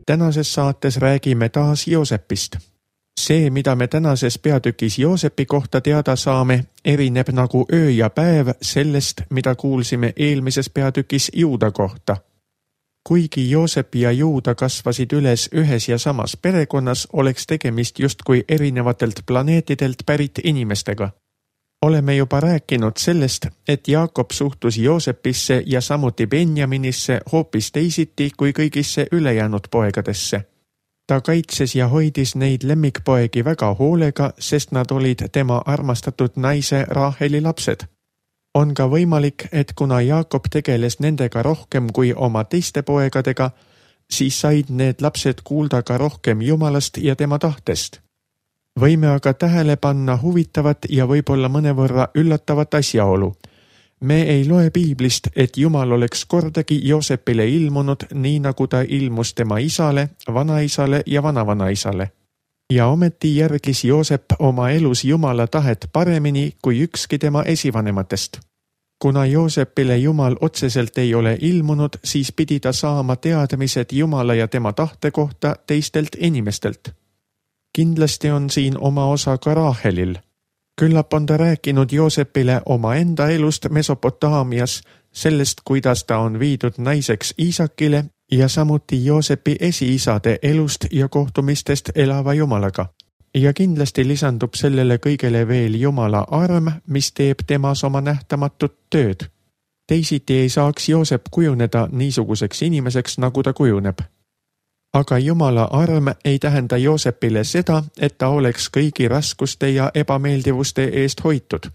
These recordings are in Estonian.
Tänases saates räägime taas Joosepist. See, mida me tänases peatükis Joosepi kohta teada saame, erineb nagu öö ja päev sellest, mida kuulsime eelmises peatükis Juuda kohta. Kuigi Joosep ja Juuda kasvasid üles ühes ja samas perekonnas, oleks tegemist justkui erinevatelt planeetidelt pärit inimestega. Oleme juba rääkinud sellest, et Jaakob suhtus Joosepisse ja samuti Benjaminisse hoopis teisiti kui kõigisse ülejäänud poegadesse. Ta kaitses ja hoidis neid lemmikpoegi väga hoolega, sest nad olid tema armastatud naise Raheli lapsed. On ka võimalik, et kuna Jaakob tegeles nendega rohkem kui oma teiste poegadega, siis said need lapsed kuulda ka rohkem Jumalast ja tema tahtest. Võime aga tähele panna huvitavat ja võib-olla mõnevõrra üllatavat asjaolu. Me ei loe piiblist, et Jumal oleks kordagi Joosepile ilmunud nii nagu ta ilmus tema isale, vanaisale ja vanavanaisale. Ja ometi järgis Joosep oma elus Jumala tahet paremini kui ükski tema esivanematest. Kuna Joosepile Jumal otseselt ei ole ilmunud, siis pidi ta saama teadmised Jumala ja tema tahte kohta teistelt inimestelt. Kindlasti on siin oma osa ka Rahelil. Küllap on ta rääkinud Joosepile oma enda elust Mesopotaamias, sellest, kuidas ta on viidud naiseks Iisakile ja samuti Joosepi esiisade elust ja kohtumistest elava Jumalaga. Ja kindlasti lisandub sellele kõigele veel Jumala arm, mis teeb temas oma nähtamatut tööd. Teisiti ei saaks Joosep kujuneda niisuguseks inimeseks, nagu ta kujuneb. Aga Jumala arm ei tähenda Joosepile seda, et ta oleks kõigi raskuste ja ebameeldivuste eest hoitud.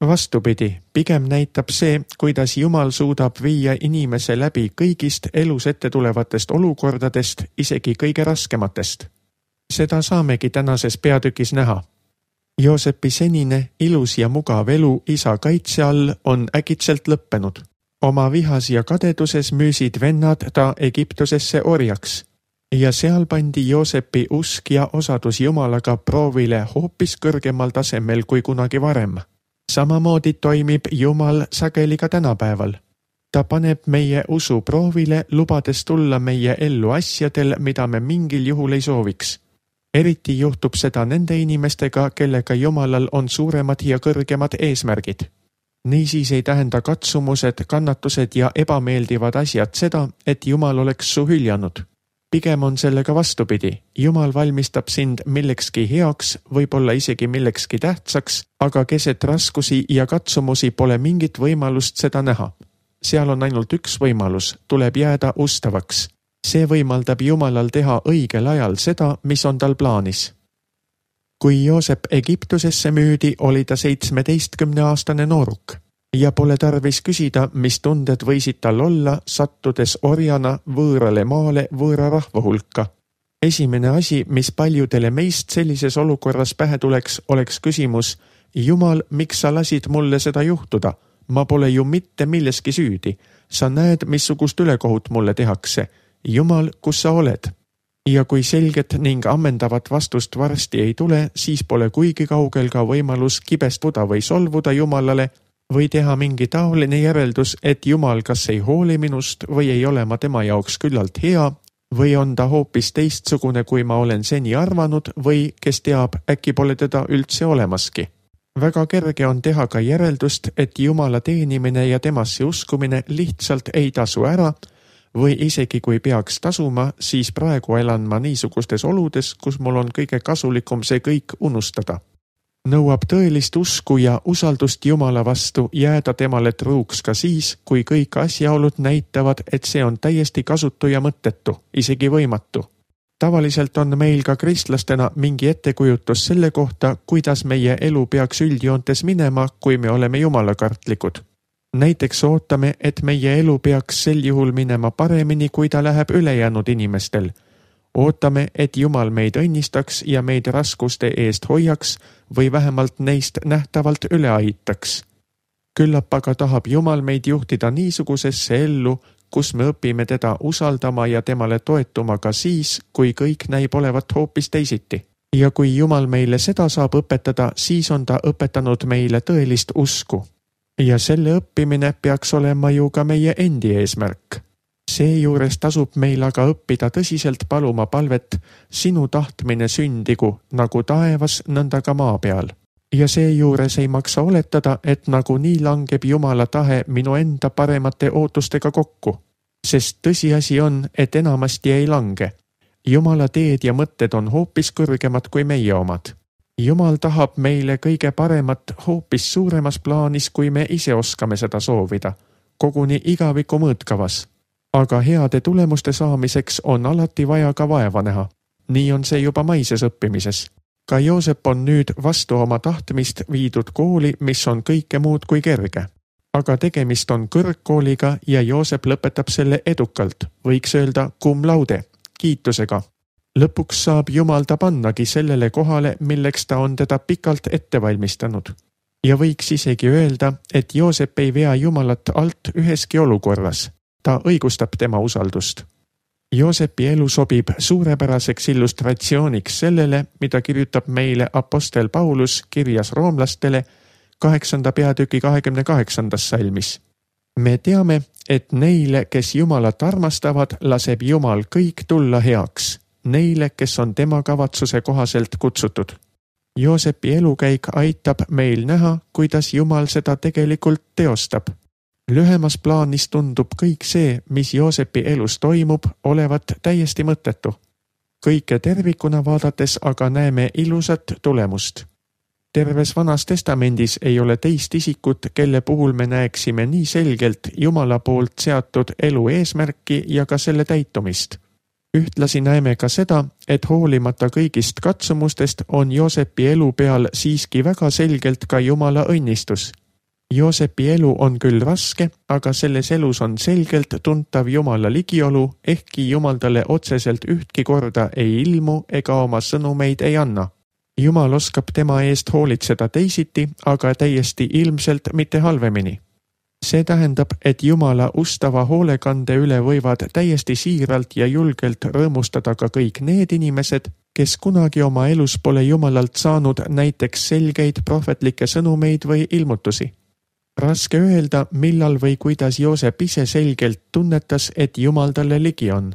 Vastupidi, pigem näitab see, kuidas Jumal suudab viia inimese läbi kõigist elus ette tulevatest olukordadest, isegi kõige raskematest. Seda saamegi tänases peatükis näha. Joosepi senine, ilus ja mugav elu isa kaitse all on äkitselt lõppenud. Oma vihas ja kadeduses müüsid vennad ta Egiptusesse orjaks. Ja seal pandi Joosepi usk ja osadus Jumalaga proovile hoopis kõrgemal tasemel kui kunagi varem. Samamoodi toimib Jumal sageli ka tänapäeval. Ta paneb meie usu proovile, lubades tulla meie ellu asjadel, mida me mingil juhul ei sooviks. Eriti juhtub seda nende inimestega, kellega Jumalal on suuremad ja kõrgemad eesmärgid. Niisiis ei tähenda katsumused, kannatused ja ebameeldivad asjad seda, et Jumal oleks su hüljanud. Pigem on sellega vastupidi. Jumal valmistab sind millekski heaks, võib-olla isegi millekski tähtsaks, aga keset raskusi ja katsumusi pole mingit võimalust seda näha. Seal on ainult üks võimalus, tuleb jääda ustavaks. See võimaldab Jumalal teha õigel ajal seda, mis on tal plaanis. Kui Joosep Egiptusesse müüdi, oli ta 17-aastane nooruk. Ja pole tarvis küsida, mis tunded võisid tal olla, sattudes orjana võõrale maale võõra rahva hulka. Esimene asi, mis paljudele meist sellises olukorras pähe tuleks, oleks küsimus: Jumal, miks sa lasid mulle seda juhtuda? Ma pole ju mitte milleski süüdi. Sa näed, missugust ülekohut mulle tehakse. Jumal, kus sa oled? Ja kui selget ning ammendavat vastust varsti ei tule, siis pole kuigi kaugel ka võimalus kibestuda või solvuda Jumalale või teha mingi taoline järeldus, et Jumal kas ei hooli minust või ei ole ma tema jaoks küllalt hea või on ta hoopis teistsugune, kui ma olen seni arvanud või kes teab, äkki pole teda üldse olemaski. Väga kerge on teha ka järeldust, et Jumala teenimine ja temasse uskumine lihtsalt ei tasu ära või isegi kui peaks tasuma, siis praegu elan ma niisugustes oludes, kus mul on kõige kasulikum see kõik unustada. Nõuab tõelist usku ja usaldust Jumala vastu jääda temale truuks ka siis, kui kõik asjaolud näitavad, et see on täiesti kasutu ja mõttetu, isegi võimatu. Tavaliselt on meil ka kristlastena mingi ettekujutus selle kohta, kuidas meie elu peaks üldjoontes minema, kui me oleme jumalakartlikud. Näiteks ootame, et meie elu peaks sel juhul minema paremini, kui ta läheb ülejäänud inimestel. Ootame, et Jumal meid õnnistaks ja meid raskuste eest hoiaks või vähemalt neist nähtavalt üle aitaks. Küllap aga tahab Jumal meid juhtida niisugusesse ellu, kus me õpime teda usaldama ja temale toetuma ka siis, kui kõik näib olevat hoopis teisiti. Ja kui Jumal meile seda saab õpetada, siis on ta õpetanud meile tõelist usku. Ja selle õppimine peaks olema ju ka meie endi eesmärk. Seejuures tasub meil aga õppida tõsiselt paluma palvet sinu tahtmine sündigu nagu taevas, nõnda ka maa peal. Ja seejuures ei maksa oletada, et nagunii langeb Jumala tahe minu enda paremate ootustega kokku, sest tõsiasi on, et enamasti ei lange. Jumala teed ja mõtted on hoopis kõrgemad kui meie omad. Jumal tahab meile kõige paremat hoopis suuremas plaanis, kui me ise oskame seda soovida, koguni igaviku mõõtkavas. Aga heade tulemuste saamiseks on alati vaja ka vaeva näha. Nii on see juba maises õppimises. Ka Joosep on nüüd vastu oma tahtmist viidud kooli, mis on kõike muud kui kerge. Aga tegemist on kõrgkooliga ja Joosep lõpetab selle edukalt, võiks öelda cum laude, kiitusega. Lõpuks saab Jumal ta pannagi sellele kohale, milleks ta on teda pikalt ette valmistanud. Ja võiks isegi öelda, et Joosep ei vea Jumalat alt üheski olukorras. Ta õigustab tema usaldust. Joosepi elu sobib suurepäraseks illustratsiooniks sellele, mida kirjutab meile apostel Paulus kirjas roomlastele 8. peatüki 28. salmis. Me teame, et neile, kes Jumalat armastavad, laseb Jumal kõik tulla heaks, neile, kes on tema kavatsuse kohaselt kutsutud. Joosepi elukäik aitab meil näha, kuidas Jumal seda tegelikult teostab. Lühemas plaanis tundub kõik see, mis Joosepi elus toimub, olevat täiesti mõttetu. Kõike tervikuna vaadates aga näeme ilusat tulemust. Terves Vanas Testamendis ei ole teist isikut, kelle puhul me näeksime nii selgelt Jumala poolt seatud elu eesmärki ja ka selle täitumist. Ühtlasi näeme ka seda, et hoolimata kõigist katsumustest on Joosepi elu peal siiski väga selgelt ka Jumala õnnistus. Joosepi elu on küll raske, aga selles elus on selgelt tuntav Jumala ligiolu, ehkki Jumal talle otseselt ühtki korda ei ilmu ega oma sõnumeid ei anna. Jumal oskab tema eest hoolitseda teisiti, aga täiesti ilmselt mitte halvemini. See tähendab, et Jumala ustava hoolekande üle võivad täiesti siiralt ja julgelt rõõmustada ka kõik need inimesed, kes kunagi oma elus pole Jumalalt saanud näiteks selgeid prohvetlikke sõnumeid või ilmutusi. Raske öelda, millal või kuidas Joosep ise selgelt tunnetas, et Jumal talle ligi on.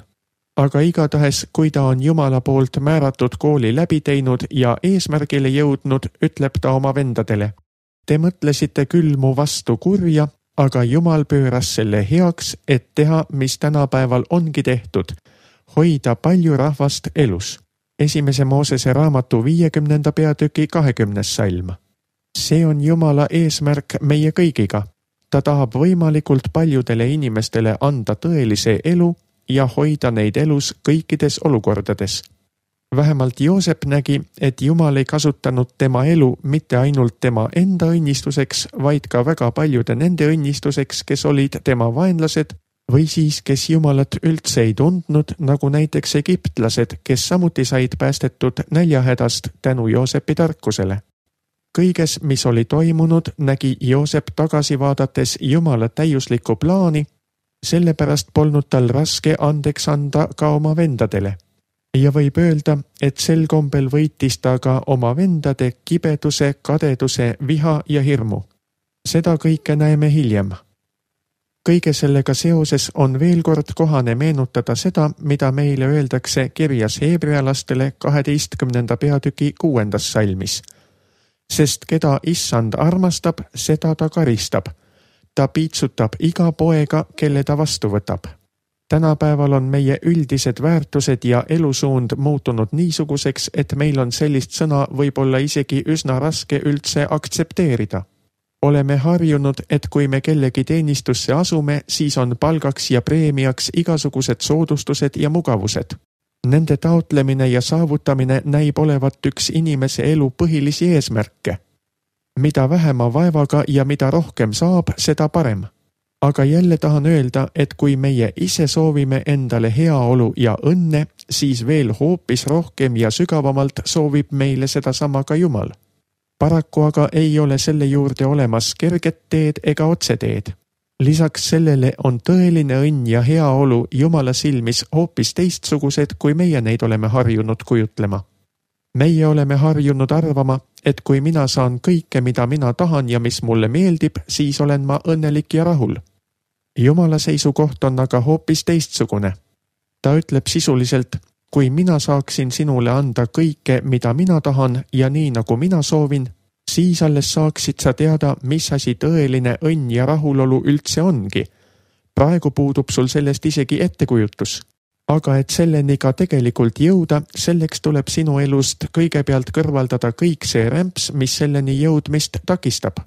Aga igatahes, kui ta on Jumala poolt määratud kooli läbi teinud ja eesmärgile jõudnud, ütleb ta oma vendadele. Te mõtlesite küll mu vastu kurja, aga Jumal pööras selle heaks, et teha, mis tänapäeval ongi tehtud, hoida palju rahvast elus. 1. Moosese raamatu 50. peatüki 20. salm. See on Jumala eesmärk meie kõigiga. Ta tahab võimalikult paljudele inimestele anda tõelise elu ja hoida neid elus kõikides olukordades. Vähemalt Joosep nägi, et Jumal ei kasutanud tema elu mitte ainult tema enda õnnistuseks, vaid ka väga paljude nende õnnistuseks, kes olid tema vaenlased või siis, kes Jumalat üldse ei tundnud, nagu näiteks egiptlased, kes samuti said päästetud näljahädast tänu Joosepi tarkusele. Kõiges, mis oli toimunud, nägi Joosep tagasi vaadates Jumala täiuslikku plaani, sellepärast polnud tal raske andeks anda ka oma vendadele. Ja võib öelda, et sel kombel võitis ta ka oma vendade kibeduse, kadeduse, viha ja hirmu. Seda kõike näeme hiljem. Kõige sellega seoses on veel kord kohane meenutada seda, mida meile öeldakse kirjas heebrealastele 12. peatüki 6. salmis. Sest keda Issand armastab, seda ta karistab. Ta piitsutab iga poega, kelle ta vastu võtab. Tänapäeval on meie üldised väärtused ja elusuund muutunud niisuguseks, et meil on sellist sõna võib-olla isegi üsna raske üldse aktsepteerida. Oleme harjunud, et kui me kellegi teenistusse asume, siis on palgaks ja preemiaks igasugused soodustused ja mugavused. Nende taotlemine ja saavutamine näib olevat üks inimese elu põhilisi eesmärke. Mida vähema vaevaga ja mida rohkem saab, seda parem. Aga jälle tahan öelda, et kui meie ise soovime endale heaolu ja õnne, siis veel hoopis rohkem ja sügavamalt soovib meile sedasama ka Jumal. Paraku aga ei ole selle juurde olemas kerget teed ega otseteed. Lisaks sellele on tõeline õnn ja heaolu Jumala silmis hoopis teistsugused, kui meie neid oleme harjunud kujutlema. Meie oleme harjunud arvama, et kui mina saan kõike, mida mina tahan ja mis mulle meeldib, siis olen ma õnnelik ja rahul. Jumala seisukoht on aga hoopis teistsugune. Ta ütleb sisuliselt, kui mina saaksin sinule anda kõike, mida mina tahan ja nii nagu mina soovin, siis alles saaksid sa teada, mis asi tõeline õnn ja rahulolu üldse ongi. Praegu puudub sul sellest isegi ettekujutus. Aga et selleni ka tegelikult jõuda, selleks tuleb sinu elust kõigepealt kõrvaldada kõik see rämps, mis selleni jõudmist takistab.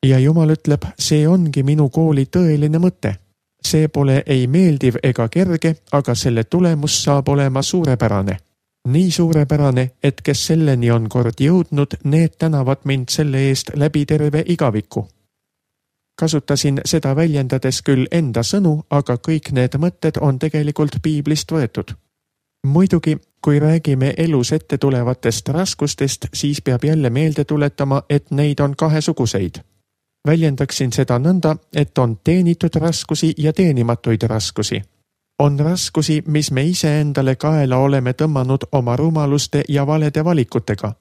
Ja Jumal ütleb, see ongi minu kooli tõeline mõte. See pole ei meeldiv ega kerge, aga selle tulemus saab olema suurepärane. Nii suurepärane, et kes selleni on kord jõudnud, need tänavad mind selle eest läbi terve igaviku. Kasutasin seda väljendades küll enda sõnu, aga kõik need mõtted on tegelikult piiblist võetud. Muidugi, kui räägime elus ette tulevatest raskustest, siis peab jälle meelde tuletama, et neid on kahesuguseid. Väljendaksin seda nõnda, et on teenitud raskusi ja teenimatuid raskusi. On raskusi, mis me ise endale kaela oleme tõmmanud oma rumaluste ja valede valikutega.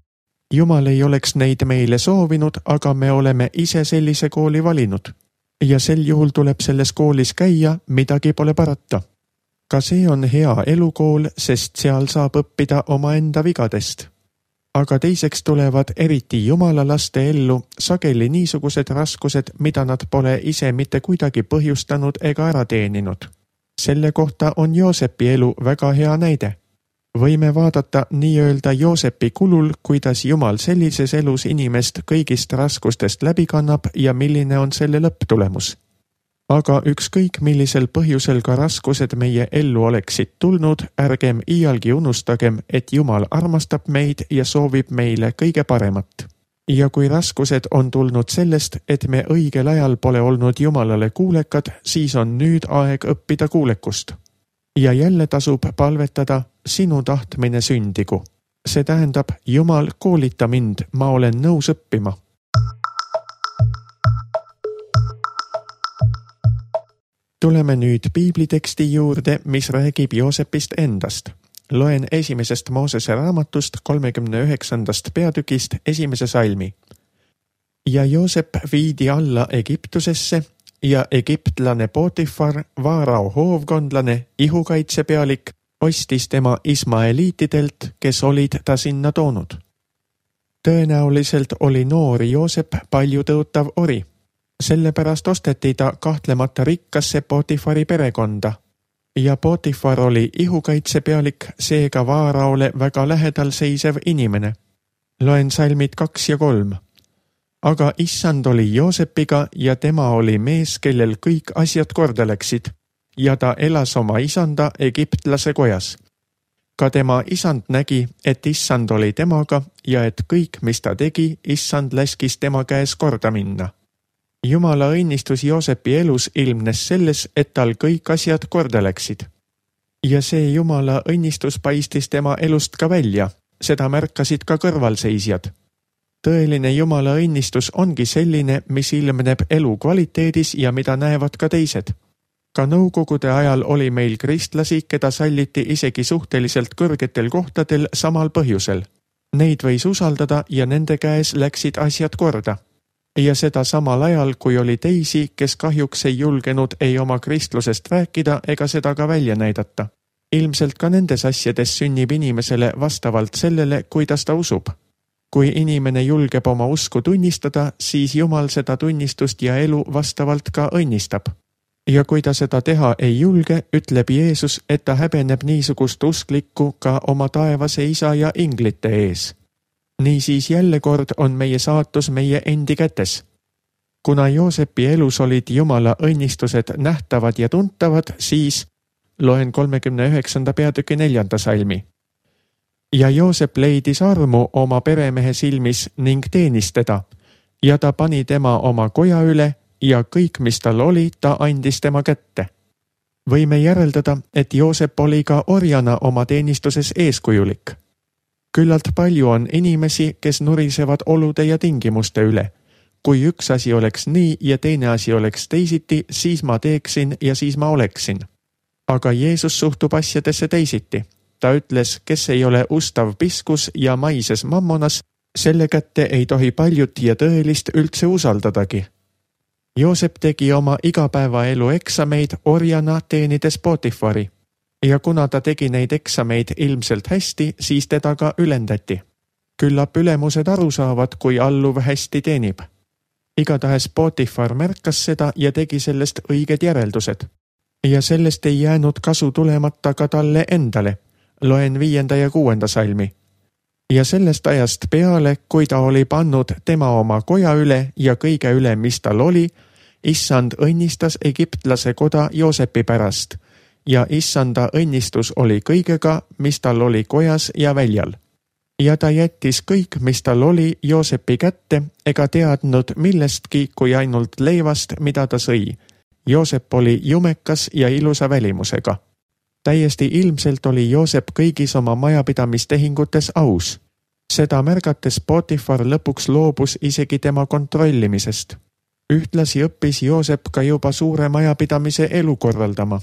Jumal ei oleks neid meile soovinud, aga me oleme ise sellise kooli valinud. Ja sel juhul tuleb selles koolis käia, midagi pole parata. Ka see on hea elukool, sest seal saab õppida omaenda vigadest. Aga teiseks tulevad eriti Jumala laste ellu sageli niisugused raskused, mida nad pole ise mitte kuidagi põhjustanud ega ära teeninud. Selle kohta on Joosepi elu väga hea näide. Võime vaadata nii-öelda Joosepi kulul, kuidas Jumal sellises elus inimest kõigist raskustest läbi kannab ja milline on selle lõpptulemus. Aga ükskõik millisel põhjusel ka raskused meie ellu oleksid tulnud, ärgem iialgi unustagem, et Jumal armastab meid ja soovib meile kõige paremat. Ja kui raskused on tulnud sellest, et me õigel ajal pole olnud Jumalale kuulekad, siis on nüüd aeg õppida kuulekust. Ja jälle tasub palvetada, sinu tahtmine sündigu. See tähendab, Jumal, koolita mind, ma olen nõus õppima. Tuleme nüüd piibliteksti juurde, mis räägib Joosepist endast. Loen 1. Moosese raamatust 39. peatükist 1. salmi. Ja Joosep viidi alla Egiptusesse ja egiptlane Potifar, Vaarao hoovkondlane, ihukaitsepealik, ostis tema ismaeliitidelt, kes olid ta sinna toonud. Tõenäoliselt oli noori Joosep palju tõotav ori. Sellepärast osteti ta kahtlemata rikkasse Potifari perekonda. Ja Potifar oli ihukaitsepealik, seega Vaaraole väga lähedal seisev inimene. Loen salmid 2 ja 3. Aga issand oli Joosepiga ja tema oli mees, kellel kõik asjad korda läksid, ja ta elas oma isanda egiptlase kojas. Ka tema isand nägi, et issand oli temaga ja et kõik, mis ta tegi, issand laskis tema käes korda minna. Jumala õnnistus Joosepi elus ilmnes selles, et tal kõik asjad korda läksid. Ja see Jumala õnnistus paistis tema elust ka välja, seda märkasid ka kõrvalseisjad. Tõeline Jumala õnnistus ongi selline, mis ilmneb elu kvaliteedis ja mida näevad ka teised. Ka nõukogude ajal oli meil kristlasi, keda salliti isegi suhteliselt kõrgetel kohtadel samal põhjusel. Neid võis usaldada ja nende käes läksid asjad korda. Ja seda samal ajal, kui oli teisi, kes kahjuks ei julgenud ei oma kristlusest rääkida ega seda ka välja näidata. Ilmselt ka nendes asjades sünnib inimesele vastavalt sellele, kuidas ta usub. Kui inimene julgeb oma usku tunnistada, siis Jumal seda tunnistust ja elu vastavalt ka õnnistab. Ja kui ta seda teha ei julge, ütleb Jeesus, et ta häbeneb niisugust usklikku ka oma taevase isa ja inglite ees. Niisiis jälle kord on meie saatus meie endi kätes. Kuna Joosepi elus olid Jumala õnnistused nähtavad ja tuntavad, siis loen 39. peatüki 4. salmi. Ja Joosep leidis armu oma peremehe silmis ning teenis teda, ja ta pani tema oma koja üle ja kõik, mis tal oli, ta andis tema kätte. Võime järeldada, et Joosep oli ka orjana oma teenistuses eeskujulik. Küllalt palju on inimesi, kes nurisevad olude ja tingimuste üle. Kui üks asi oleks nii ja teine asi oleks teisiti, siis ma teeksin ja siis ma oleksin. Aga Jeesus suhtub asjadesse teisiti. Ta ütles, kes ei ole ustav piskus ja maises mammonas, selle kätte ei tohi paljut ja tõelist üldse usaldadagi. Joosep tegi oma igapäevaelu eksameid orjana teenides Potifari ja kuna ta tegi neid eksameid ilmselt hästi, siis teda ka ülendati. Küllap ülemused aru saavad, kui alluv hästi teenib. Igatahes Potifar märkas seda ja tegi sellest õiged järeldused. Ja sellest ei jäänud kasu tulemata ka talle endale. Loen 5. ja 6. salmi. Ja sellest ajast peale, kui ta oli pannud tema oma koja üle ja kõige üle, mis tal oli, Issand õnnistas egiptlase koda Joosepi pärast ja Issanda õnnistus oli kõigega, mis tal oli kojas ja väljal. Ja ta jättis kõik, mis tal oli Joosepi kätte, ega teadnud millestki kui ainult leivast, mida ta sõi. Joosep oli jumekas ja ilusa välimusega. Täiesti ilmselt oli Joosep kõigis oma majapidamistehingutes aus. Seda märgates Potifar lõpuks loobus isegi tema kontrollimisest. Ühtlasi õppis Joosep ka juba suure majapidamise elu korraldama.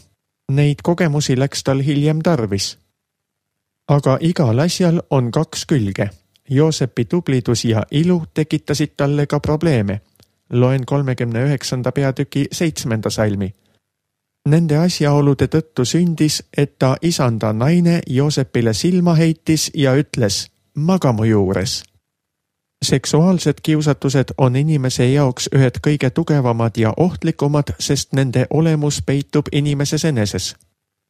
Neid kogemusi läks tal hiljem tarvis. Aga igal asjal on 2 külge. Joosepi tublidus ja ilu tekitasid talle ka probleeme. Loen 39. peatüki 7. salmi. Nende asjaolude tõttu sündis, et ta isanda naine Joosepile silma heitis ja ütles, maga mu juures. Seksuaalsed kiusatused on inimese jaoks ühed kõige tugevamad ja ohtlikumad, sest nende olemus peitub inimeses eneses.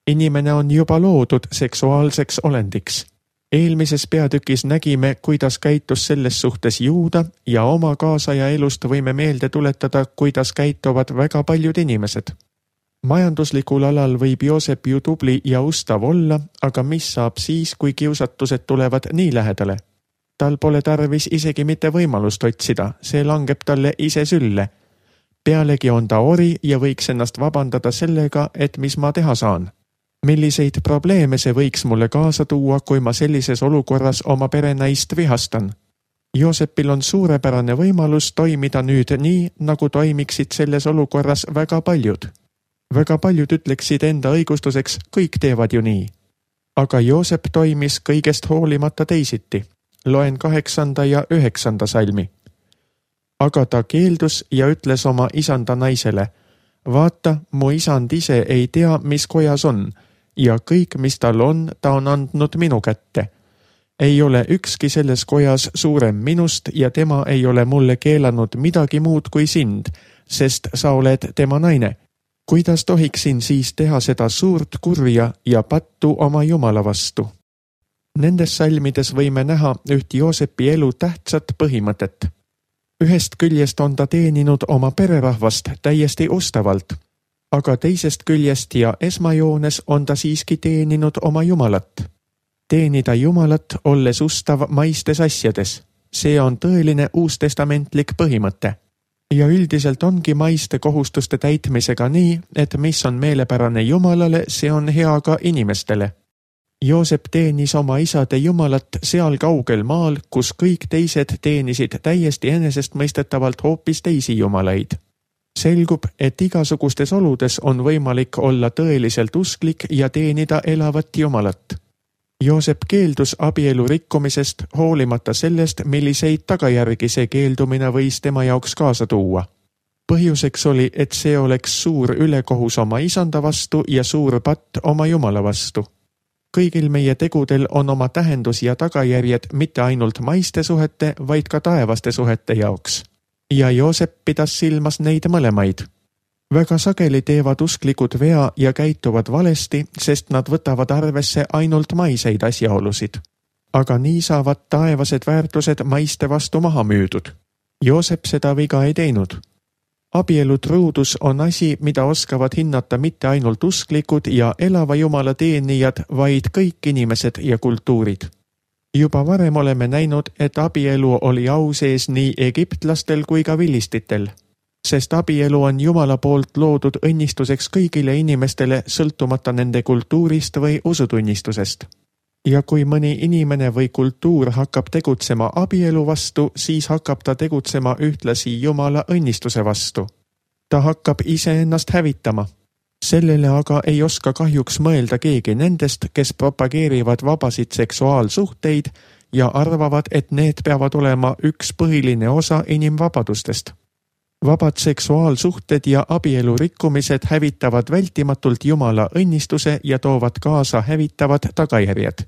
Inimene on juba loodud seksuaalseks olendiks. Eelmises peatükis nägime, kuidas käitus selles suhtes Juuda ja oma kaasaja elust võime meelde tuletada, kuidas käituvad väga paljud inimesed. Majanduslikul alal võib Joosep ju tubli ja ustav olla, aga mis saab siis, kui kiusatused tulevad nii lähedale? Tal pole tarvis isegi mitte võimalust otsida, see langeb talle ise sülle. Pealegi on ta ori ja võiks ennast vabandada sellega, et mis ma teha saan. Milliseid probleeme see võiks mulle kaasa tuua, kui ma sellises olukorras oma perenaist vihastan? Joosepil on suurepärane võimalus toimida nüüd nii, nagu toimiksid selles olukorras väga paljud. Väga paljud ütleksid enda õigustuseks, kõik teevad ju nii. Aga Joosep toimis kõigest hoolimata teisiti. Loen 8. ja 9. salmi. Aga ta keeldus ja ütles oma isanda naisele, vaata, mu isand ise ei tea, mis kojas on, ja kõik, mis tal on, ta on andnud minu kätte. Ei ole ükski selles kojas suurem minust ja tema ei ole mulle keelanud midagi muud kui sind, sest sa oled tema naine. Kuidas tohiksin siis teha seda suurt kurja ja pattu oma Jumala vastu? Nendes salmides võime näha üht Joosepi elu tähtsat põhimõtet. Ühest küljest on ta teeninud oma pererahvast täiesti ustavalt, aga teisest küljest ja esmajoones on ta siiski teeninud oma Jumalat. Teenida Jumalat, olles ustav maistes asjades. See on tõeline uustestamentlik põhimõte. Ja üldiselt ongi maiste kohustuste täitmisega nii, et mis on meelepärane Jumalale, see on hea ka inimestele. Joosep teenis oma isade Jumalat seal kaugel maal, kus kõik teised teenisid täiesti enesestmõistetavalt hoopis teisi jumalaid. Selgub, et igasugustes oludes on võimalik olla tõeliselt usklik ja teenida elavat Jumalat. Joosep keeldus abielu rikkumisest hoolimata sellest, milliseid tagajärgi see keeldumine võis tema jaoks kaasa tuua. Põhjuseks oli, et see oleks suur ülekohus oma isanda vastu ja suur patt oma Jumala vastu. Kõigil meie tegudel on oma tähendus ja tagajärjed mitte ainult maiste suhete, vaid ka taevaste suhete jaoks. Ja Joosep pidas silmas neid mõlemaid. Väga sageli teevad usklikud vea ja käituvad valesti, sest nad võtavad arvesse ainult maiseid asjaolusid. Aga nii saavad taevased väärtused maiste vastu maha müüdud. Joosep seda viga ei teinud. Abielu truudus on asi, mida oskavad hinnata mitte ainult usklikud ja elava Jumala teenijad, vaid kõik inimesed ja kultuurid. Juba varem oleme näinud, et abielu oli au sees nii egiptlastel kui ka vilistitel, sest abielu on Jumala poolt loodud õnnistuseks kõigile inimestele sõltumata nende kultuurist või usutunnistusest. Ja kui mõni inimene või kultuur hakkab tegutsema abielu vastu, siis hakkab ta tegutsema ühtlasi Jumala õnnistuse vastu. Ta hakkab iseennast hävitama. Sellele aga ei oska kahjuks mõelda keegi nendest, kes propageerivad vabasid seksuaalsuhteid ja arvavad, et need peavad olema üks põhiline osa inimvabadustest. Vabad seksuaalsuhted ja abielu rikkumised hävitavad vältimatult Jumala õnnistuse ja toovad kaasa hävitavad tagajärjed.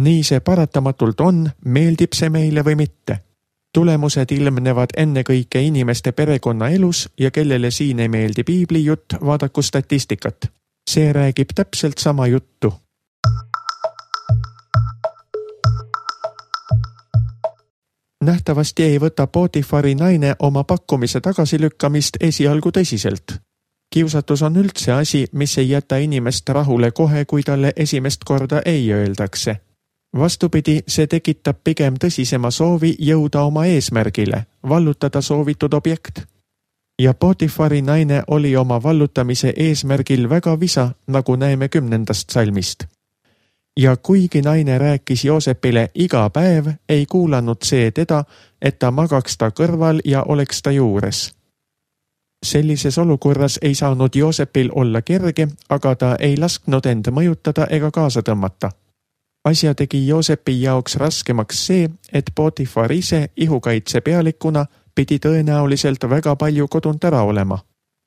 Nii see paratamatult on, meeldib see meile või mitte. Tulemused ilmnevad ennekõike inimeste perekonnaelus ja kellele siin ei meeldi piibli jutt, vaadaku statistikat. See räägib täpselt sama juttu. Nähtavasti ei võta Potifari naine oma pakkumise tagasilükkamist esialgu tõsiselt. Kiusatus on üldse asi, mis ei jäta inimest rahule kohe, kui talle esimest korda ei öeldakse. Vastupidi, see tekitab pigem tõsisema soovi jõuda oma eesmärgile, vallutada soovitud objekt. Ja Potifari naine oli oma vallutamise eesmärgil väga visa, nagu näeme 10. salmist. Ja kuigi naine rääkis Joosepile iga päev, ei kuulanud see teda, et ta magaks ta kõrval ja oleks ta juures. Sellises olukorras ei saanud Joosepil olla kerge, aga ta ei lasknud end mõjutada ega kaasa tõmmata. Asja tegi Joosepi jaoks raskemaks see, et Potifar ise ihukaitse pealikuna pidi tõenäoliselt väga palju kodunt ära olema.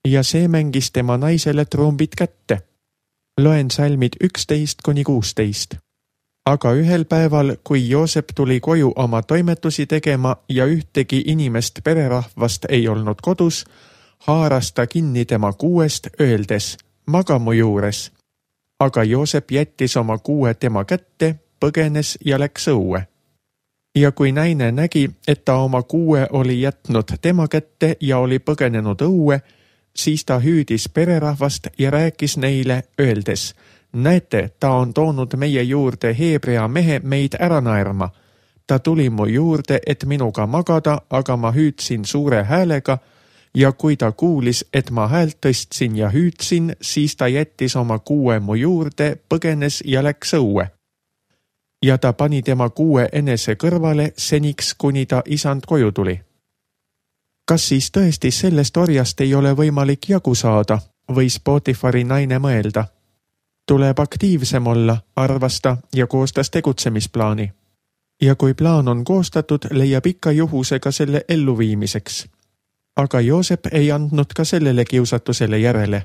Ja see mängis tema naisele trumbid kätte. Loen salmid 11-16. Aga ühel päeval, kui Joosep tuli koju oma toimetusi tegema ja ühtegi inimest pererahvast ei olnud kodus, haaras ta kinni tema kuuest, öeldes, maga mu juures. Aga Joosep jättis oma kuue tema kätte, põgenes ja läks õue. Ja kui naine nägi, et ta oma kuue oli jätnud tema kätte ja oli põgenenud õue, siis ta hüüdis pererahvast ja rääkis neile, öeldes, näete, ta on toonud meie juurde Heebrea mehe meid ära naerma. Ta tuli mu juurde, et minuga magada, aga ma hüüdsin suure häälega ja kui ta kuulis, et ma häält tõstsin ja hüüdsin, siis ta jättis oma kuue mu juurde, põgenes ja läks õue. Ja ta pani tema kuue enese kõrvale seniks, kuni ta isand koju tuli. Kas siis tõesti sellest orjast ei ole võimalik jagu saada, võis Potifari naine mõelda. Tuleb aktiivsem olla, arvas ta ja koostas tegutsemisplaani. Ja kui plaan on koostatud, leiab ikka juhusega selle elluviimiseks. Aga Joosep ei andnud ka sellele kiusatusele järele.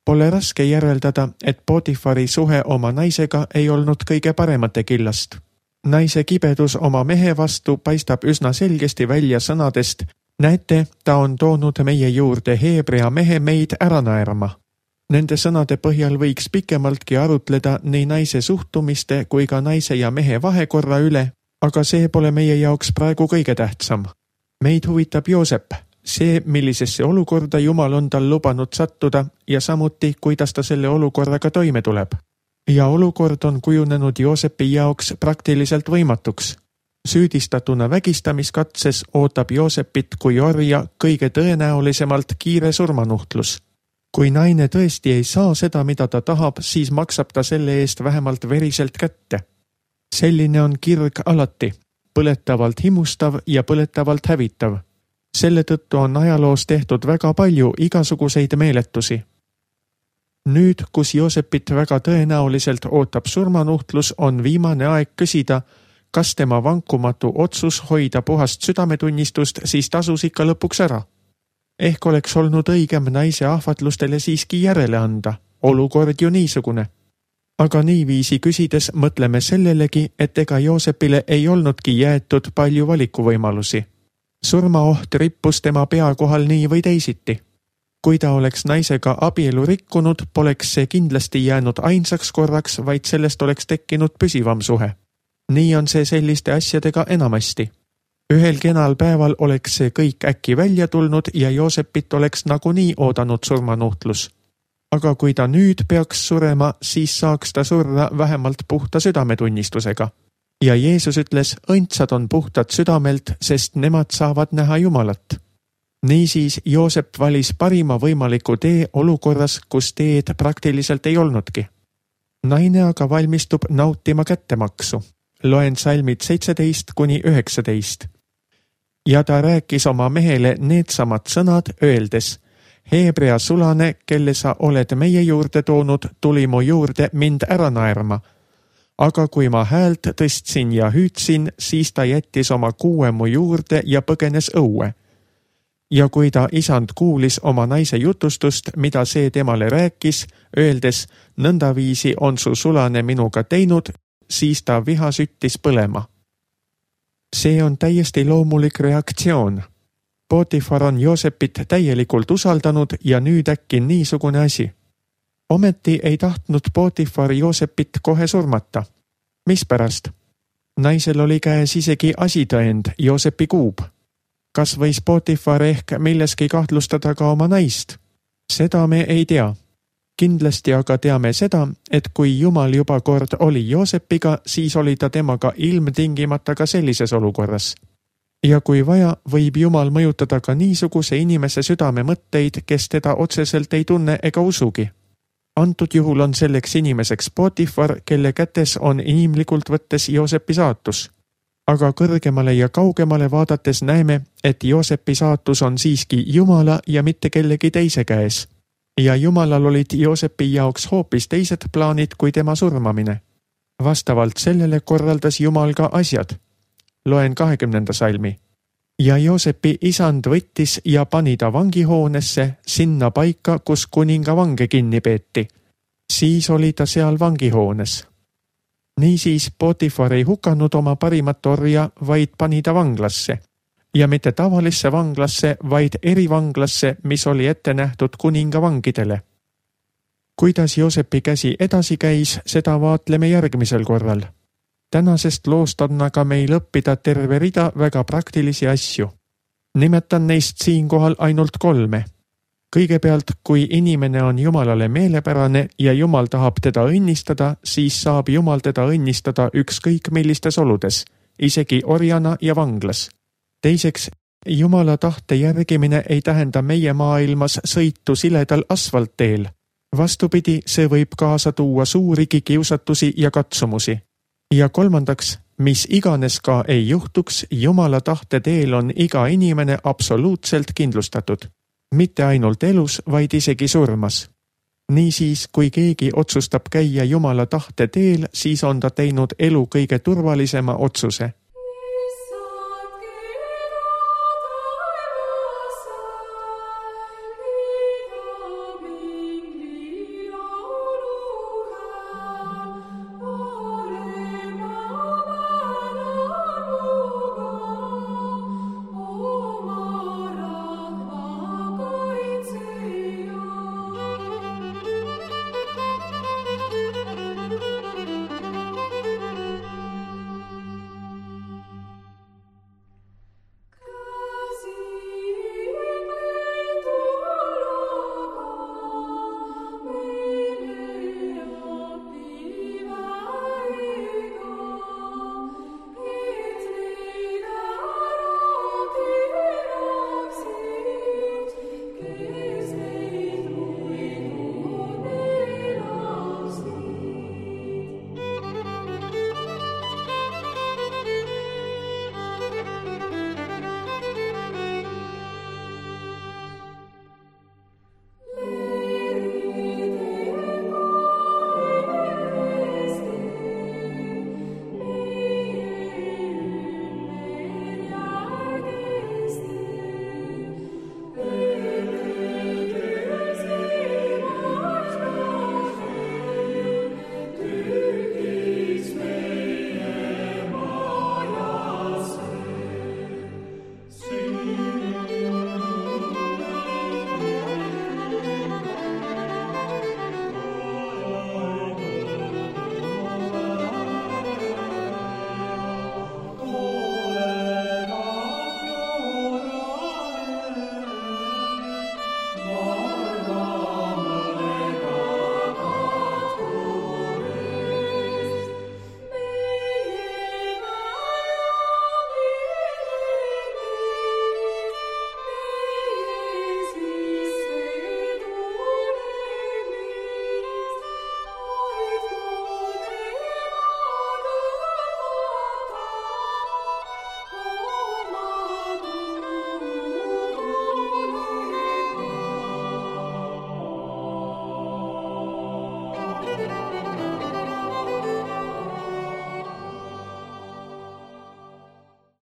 Pole raske järeldada, et Potifari suhe oma naisega ei olnud kõige paremate killast. Naise kibedus oma mehe vastu paistab üsna selgesti välja sõnadest, näete, ta on toonud meie juurde Heebrea mehe meid ära naerma. Nende sõnade põhjal võiks pikemaltki arutleda nii naise suhtumiste kui ka naise ja mehe vahekorra üle, aga see pole meie jaoks praegu kõige tähtsam. Meid huvitab Joosep, see, millisesse olukorda Jumal on tal lubanud sattuda ja samuti, kuidas ta selle olukorraga toime tuleb. Ja olukord on kujunenud Joosepi jaoks praktiliselt võimatuks. Süüdistatuna vägistamiskatses ootab Joosepit kui orja kõige tõenäolisemalt kiire surmanuhtlus. Kui naine tõesti ei saa seda, mida ta tahab, siis maksab ta selle eest vähemalt veriselt kätte. Selline on kirg alati, põletavalt himustav ja põletavalt hävitav. Selle tõttu on ajaloos tehtud väga palju igasuguseid meeletusi. Nüüd, kus Joosepit väga tõenäoliselt ootab surmanuhtlus, on viimane aeg küsida, kas tema vankumatu otsus hoida puhast südametunnistust siis tasus ikka lõpuks ära. Ehk oleks olnud õigem naise ahvatlustele siiski järele anda, olukord ju niisugune. Aga niiviisi küsides mõtleme sellelegi, et ega Joosepile ei olnudki jäetud palju valikuvõimalusi. Surmaoht rippus tema pea kohal nii või teisiti. Kui ta oleks naisega abielu rikkunud, poleks see kindlasti jäänud ainsaks korraks, vaid sellest oleks tekkinud püsivam suhe. Nii on see selliste asjadega enamasti. Ühel kenal päeval oleks see kõik äkki välja tulnud ja Joosepit oleks nagunii oodanud surmanuhtlus. Aga kui ta nüüd peaks surema, siis saaks ta surra vähemalt puhta südametunnistusega. Ja Jeesus ütles, õndsad on puhtad südamelt, sest nemad saavad näha Jumalat. Niisiis Joosep valis parima võimaliku tee olukorras, kus teed praktiliselt ei olnudki. Naine aga valmistub nautima kättemaksu. Loen salmid 17-19. Ja ta rääkis oma mehele needsamad sõnad, öeldes, Heebrea sulane, kelle sa oled meie juurde toonud, tuli mu juurde mind ära naerma. Aga kui ma häält tõstsin ja hüüdsin, siis ta jättis oma kuue mu juurde ja põgenes õue. Ja kui ta isand kuulis oma naise jutustust, mida see temale rääkis, öeldes, nõndaviisi on su sulane minuga teinud, siis ta viha süttis põlema. See on täiesti loomulik reaktsioon. Potifar on Joosepit täielikult usaldanud ja nüüd äkki niisugune asi. Ometi ei tahtnud Potifar Joosepit kohe surmata. Mispärast? Naisel oli käes isegi asitõend, Joosepi kuub. Kas võis Potifar ehk milleski kahtlustada ka oma naist? Seda me ei tea. Kindlasti aga teame seda, et kui Jumal juba kord oli Joosepiga, siis oli ta temaga ilmtingimata ka sellises olukorras. Ja kui vaja, võib Jumal mõjutada ka niisuguse inimese südame mõtteid, kes teda otseselt ei tunne ega usugi. Antud juhul on selleks inimeseks Potifar, kelle kätes on inimlikult võttes Joosepi saatus. Aga kõrgemale ja kaugemale vaadates näeme, et Joosepi saatus on siiski Jumala ja mitte kellegi teise käes. Ja Jumalal olid Joosepi jaoks hoopis teised plaanid kui tema surmamine. Vastavalt sellele korraldas Jumal ka asjad. Loen 20. salmi. Ja Joosepi isand võttis ja pani ta vangihoonesse, sinna paika, kus kuninga vange kinni peeti. Siis oli ta seal vangihoones. Niisiis Potifar ei hukanud oma parimat orja, vaid pani ta vanglasse. Ja mitte tavalisse vanglasse, vaid erivanglasse, mis oli ette nähtud kuninga vangidele. Kuidas Joosepi käsi edasi käis, seda vaatleme järgmisel korral. Tänasest loost on aga meil õppida terve rida väga praktilisi asju. Nimetan neist siinkohal ainult 3. Kõigepealt, kui inimene on Jumalale meelepärane ja Jumal tahab teda õnnistada, siis saab Jumal teda õnnistada ükskõik millistes oludes, isegi orjana ja vanglas. Teiseks, Jumala tahte järgimine ei tähenda meie maailmas sõitu siledal asfaltteel. Vastupidi, see võib kaasa tuua suurigi kiusatusi ja katsumusi. Ja kolmandaks, mis iganes ka ei juhtuks, Jumala tahte teel on iga inimene absoluutselt kindlustatud. Mitte ainult elus, vaid isegi surmas. Niisiis, kui keegi otsustab käia Jumala tahte teel, siis on ta teinud elu kõige turvalisema otsuse.